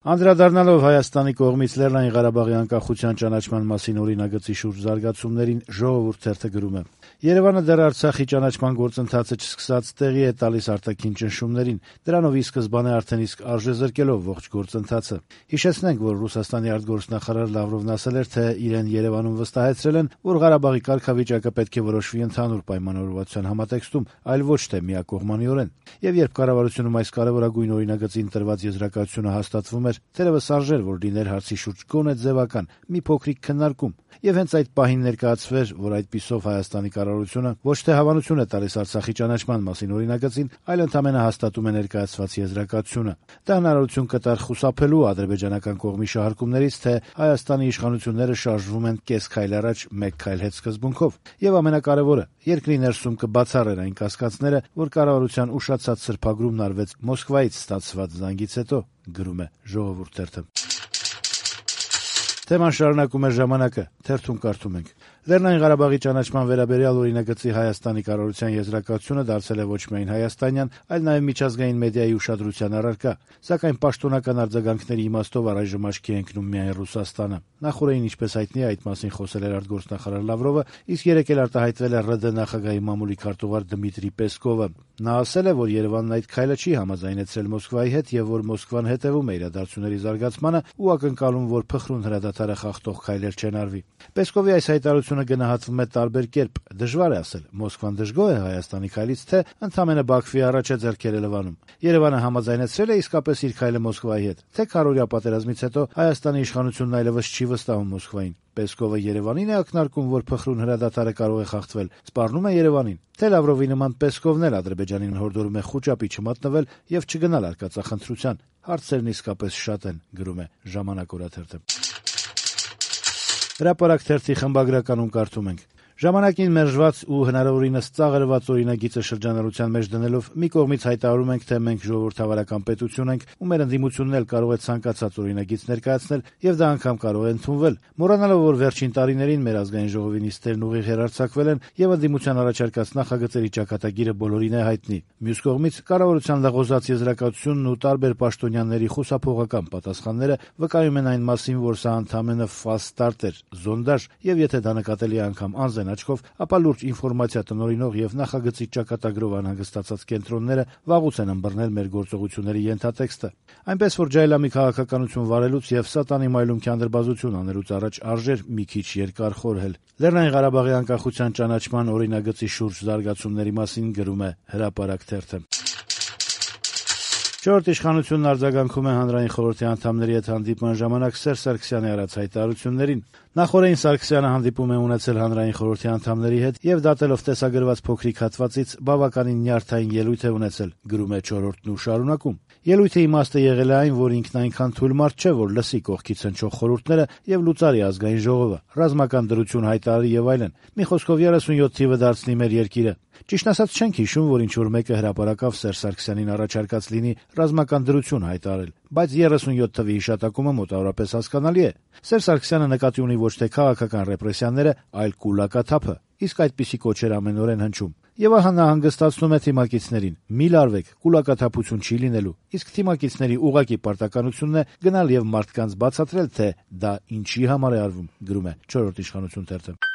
Անդրադառնալով Հայաստանի կողմից Լեռնային Ղարաբաղի անկախության ճանաչման մասին օրինագծի շուրջ զարգացումներին «Ժողովուրդ» թերթը գրում է. Երևանը դեռ Արցախի ճանաչման գործընթացը չսկսած տեղի է տալիս արտաքին ճնշումներին, դրանով ի սկզբանե արդեն իսկ արժեզրկելով ողջ գործընթացը։ Հիշեցնենք, որ Ռուսաստանի արտգործնախարար Լավրովն ասել էր, թե իրեն Երևանում վստահեցրել են, որ Ղարաբաղի կարգավիճակը պետք է որոշվի ընդհանուր պայմանավորվածության համատեքստում, այլ ոչ թե միակողմանիորեն։ Եվ երբ կառավարությունում այս կարևորագույն օրինագծին տրված եզրակացությունը հաստատվում էր, թերևս արժեր, որ լիներ հարցի շուրջ գոնե ձևական մի փոքրիկ քննարկում, եւ հենց այդ պահին ներկայացվեր, որ այդպիսով Հայաստանի կառավարությունը ոչ թե հավանություն է տալիս Արցախի ճանաչման մասին օրինագծին, այլ ընդամենը հաստատում է ներկայացված եզրակացությունը։ Դա հնարավորություն կտար խուսափելու ադրբեջանական կողմի շահարկումներից, թե Հայաստանի իշխանությունները շարժվում են կես քայլ առաջ, մեկ քայլ հետ սկզբունքով, եւ ամենակարևորը, երկրի ներսում կբացառեր այն կասկածները, որ կառավարության ուշացած սրբագրումն արվեց Մոսկվայից ստացված զանգից հետո, գրում է «Ժողովուրդ» թերթը։ Թեման շարունակում է «Ժամանակը», թերթում կարդում ենք. Լեռնային Ղարաբաղի ճանաչման վերաբերյալ օրինագծի Հայաստանի կառավարության եզրակացությունը դարձել է ոչ միայն հայաստանյան, այլ նաև միջազգային մեդիայի ուշադրության առարկա, սակայն պաշտոնական արձագանքների իմաստով առայժմ աչքի է ընկնում միայն Ռուսաստանը։ Նախորդին, ինչպես հայտնի է, այդ մասին խոսել էր արտգործնախարար Լավրովը, իսկ երեկ էլ արտահայտվել է ՌԴ նախագահի մամուլի քարտուղար Դմիտրի Պեսկովը։ Նա ասել է, որ Երևանն այդ քայլը չի համաձայնեցրել Մոսկվայի հետ եւ որ Մոսկվան հետեւում է իրադարձությունների զարգացմանը ու ակնկալում, որ փխրուն հրադադարը խախտող քայլեր չեն արվի։ Պեսկովի այս հայտարարությունը գնահատվում է տարբեր կերպ։ Դժվար է ասել, Մոսկվան դժգոհ է Հայաստանի քայլից, թե ընդհանրապես Բաքվի առաջ է ձեռքերը լվանում։ Երևանը համաձայնեցրել է իսկապես իր քայլը Մոսկվայի հետ, թե քարորյա պատերազմից հետո Հայաստանի իշխանությունն այլևս չի վստահում Մոսկվային։ Պեսկովը Երևանին է ակնարկում, որ փխրուն հրադադարը կարող է խախտվել, սպառնում է Երևանին, թե Լավրովի նման Պեսկովն էլ Ադրբեջանին հորդորում է խուճապի չմատնվել եւ չգնալ արկածախնդրության։ Հարցերն իսկապես շատ են, գրում է «Ժամանակ» օրաթերթը։ Հրապարակ թերթի խմբագրականում կարդում ենք. Ժամանակին մերժված ու հնարավորինս ծաղրված օրինագիծը շրջանառության մեջ դնելով մի կողմից հայտարարում ենք, թե մենք ժողովրդավարական պետություն ենք ու մեր ընդդիմությունն էլ կարող է ցանկացած օրինագիծ ներկայացնել եւ դա անգամ կարող է ընդունվել, մոռանալով, որ վերջին տարիներին մեր ազգային ժողովի նիստերն ուղիղ հեռարձակվել են եւ ընդդիմության առաջարկած նախագծերի ճակատագիրը բոլորին է հայտնի։ Մյուս կողմից կառավարության լղոզած եզրակացությունն ու տարբեր պաշտոնյաների խուսափողական պատասխանները վկայում են այն մասին, որ սա ընդամենը ֆաս ստարտ էր, զոնդաժ եւ եթե դա նկատելի է անգամ անզեն աչքով, ապա լուրջ ինֆորմացիա տնօրինող եւ նախագծի ճակատագրով անհանգստացած կենտրոնները վաղուց են ըմբռնել մեր գործողությունների ենթատեքստը։ Այնպես որ ջայլամի քաղաքականություն վարելուց եւ սատանի մայլում քանդրբազություն անելուց առաջ արժեր մի քիչ երկար խորհել։ Լեռնային Ղարաբաղի անկախության ճանաչման օրինագծի շուրջ զարգացումների մասին գրում է Հրապարակ թերթը։ Չորրորդ իշխանությունն արձագանքում է հանրային խորհրդի անդամների հետ հանդիպման ժամանակ Սերժ Սարգսյանի արած հայտարարություններին։ Նախորդին Սարգսյանը հանդիպում է ունեցել հանրային խորհրդի անդամների հետ եւ դատելով տեսագրված փոքրիկ հատվածից բավականին նյարդային ելույթ է ունեցել, գրում է Չորրորդն ու շարունակում. Ելույթի իմաստը եղել է այն, որ ինքն այնքան թույլ մարդ չէ, որ լսի կողքից հնչող խորհուրդները եւ լուծարի ազգային ժողովը, ռազմական դրություն հայտարարի եւ այլն։ Մի խոսքով 37 թիվը դարձնի մեր երկիրը։ Ճիշտ ասած չենք հիշում, որ ինչ-որ մեկը հրապարակավ Սերժ Սարգսյանին առաջարկած լինի ռազմական դրություն հայտարարել, բայց 37 թվի հիշատակումը մոտավորապես հասկանալի է։ Սերժ Սարգսյանը նկատի ունի ոչ թե քաղաքական ռեպրեսիաները, այլ կուլակաթափը, իսկ այդպիսի կոչեր ամենօրեն հնչում։ Եվ ահա նա հանգստացնում է թիմակիցներին. մի լարվեք, կուլակաթափություն չի լինելու, իսկ թիմակիցների ուղղակի պարտականությունն է գնալ եւ մարդկանց բացատրել, թե դա ինչի համար է արվում, գրում է Չորրորդ իշխանություն թերթը։